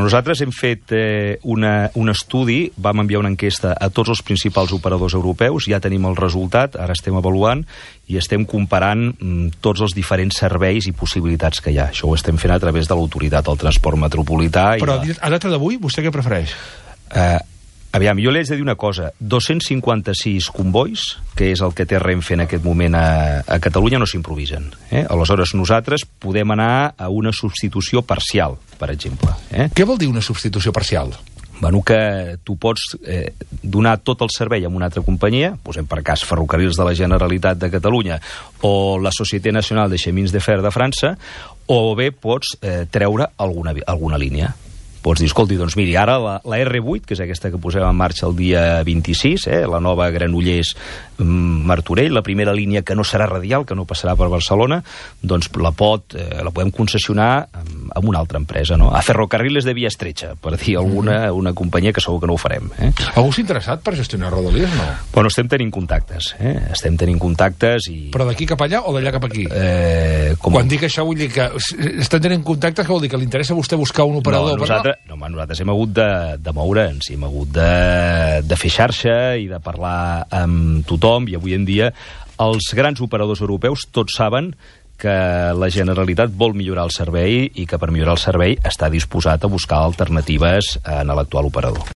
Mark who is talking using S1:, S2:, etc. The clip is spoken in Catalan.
S1: Nosaltres hem fet un estudi, vam enviar una enquesta a tots els principals operadors europeus, ja tenim el resultat, ara estem avaluant i estem comparant tots els diferents serveis i possibilitats que hi ha. Això ho estem fent a través de l'Autoritat del Transport Metropolità.
S2: Però a data d'avui, vostè què prefereix?
S1: Aviam, jo li haig de dir una cosa. 256 convois, que és el que té Renfe en aquest moment a Catalunya, no s'improvisen. Aleshores, nosaltres podem anar a una substitució parcial, per exemple.
S2: Què vol dir una substitució parcial?
S1: Bueno, que tu pots donar tot el servei a una altra companyia, posem per cas Ferrocarrils de la Generalitat de Catalunya o la Société Nationale de Chemins de Fer de França, o bé pots treure alguna línia. Pots dir, escolti, doncs miri, ara la R8, que és aquesta que posem en marxa el dia 26, la nova Granollers-Martorell, la primera línia que no serà radial, que no passarà per Barcelona, doncs la podem concessionar amb una altra empresa, no? A Ferrocarriles de Via Estretxa, per dir una companyia que segur que no ho farem.
S2: Algú s'ha interessat per gestionar Rodalies, no?
S1: Bueno, estem tenint contactes, estem tenint contactes i...
S2: Però d'aquí cap allà o d'allà cap aquí? Quan dic això vull dir que estem tenint contactes, que vol dir que li interessa a vostè buscar un operador?
S1: Nosaltres hem hagut de moure'ns, hem hagut de fer xarxa i de parlar amb tothom, i avui en dia els grans operadors europeus tots saben que la Generalitat vol millorar el servei i que per millorar el servei està disposat a buscar alternatives en l'actual operador.